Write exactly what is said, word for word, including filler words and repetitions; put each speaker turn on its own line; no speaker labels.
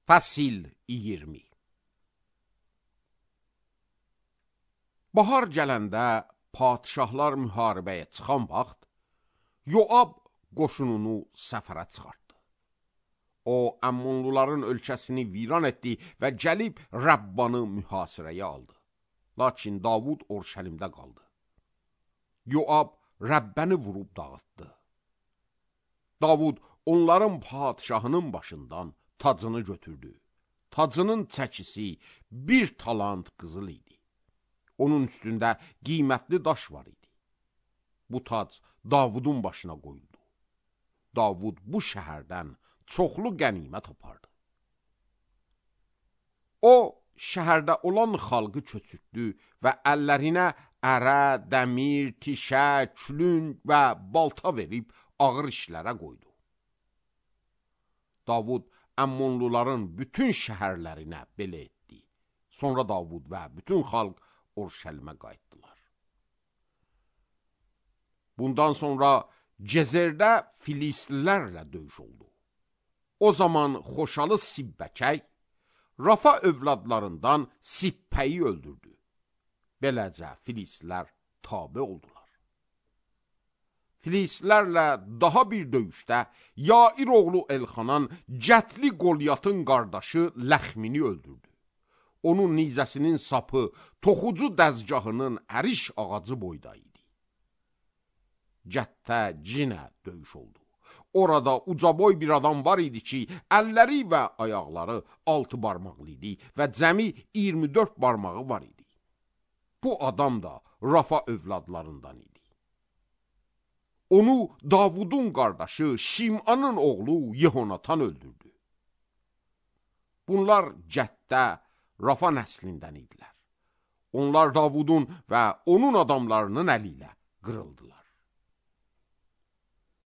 Fəsil iyirmi. Bahar gələndə padişahlar müharibəyə çıxan vaxt, Yoab qoşununu səfərə çıxartdı. O, Əmmonluların ölkəsini viran etdi və gəlib Rəbbanı mühasirəyə aldı. Lakin Davud Orşəlimdə qaldı. Yoab Rəbbəni vurub dağıtdı. Davud onların padişahının başından tacını götürdü. Tacının çəkisi bir talant qızıl idi. Onun üstündə qiymətli daş var idi. Bu tac Davudun başına qoyuldu. Davud bu şəhərdən çoxlu qənimət apardı. O, şəhərdə olan xalqı köçürtdü və əllərinə ərə, dəmir, tişə, külünk və balta verib ağır işlərə qoydu. Davud Əmmonluların bütün şəhərlərinə belə etdi. Sonra Davud və bütün xalq Orşəlimə qayıtdılar. Bundan sonra Cezerdə Filistlilərlə döyüş oldu. O zaman Xoşalı Sibbəkək, Rafa övladlarından Sippəyi öldürdü. Beləcə Filistlilər tabe oldular. Filistlərlə daha bir döyüşdə Yair oğlu Elxanan Cətli Qolyatın qardaşı Ləxmini öldürdü. Onun nizəsinin sapı toxucu dəzgahının əriş ağacı boyda idi. Cətdə cinə döyüş oldu. Orada ucaboy bir adam var idi ki, əlləri və ayaqları altı barmaqlı idi və cəmi iyirmi dörd barmağı var idi. Bu adam da Rafa övladlarından idi. Onu Davudun qardaşı Şimanın oğlu Yehonatan öldürdü. Bunlar Cətdə Rafa nəslindən idilər. Onlar Davudun və onun adamlarının əli ilə qırıldılar.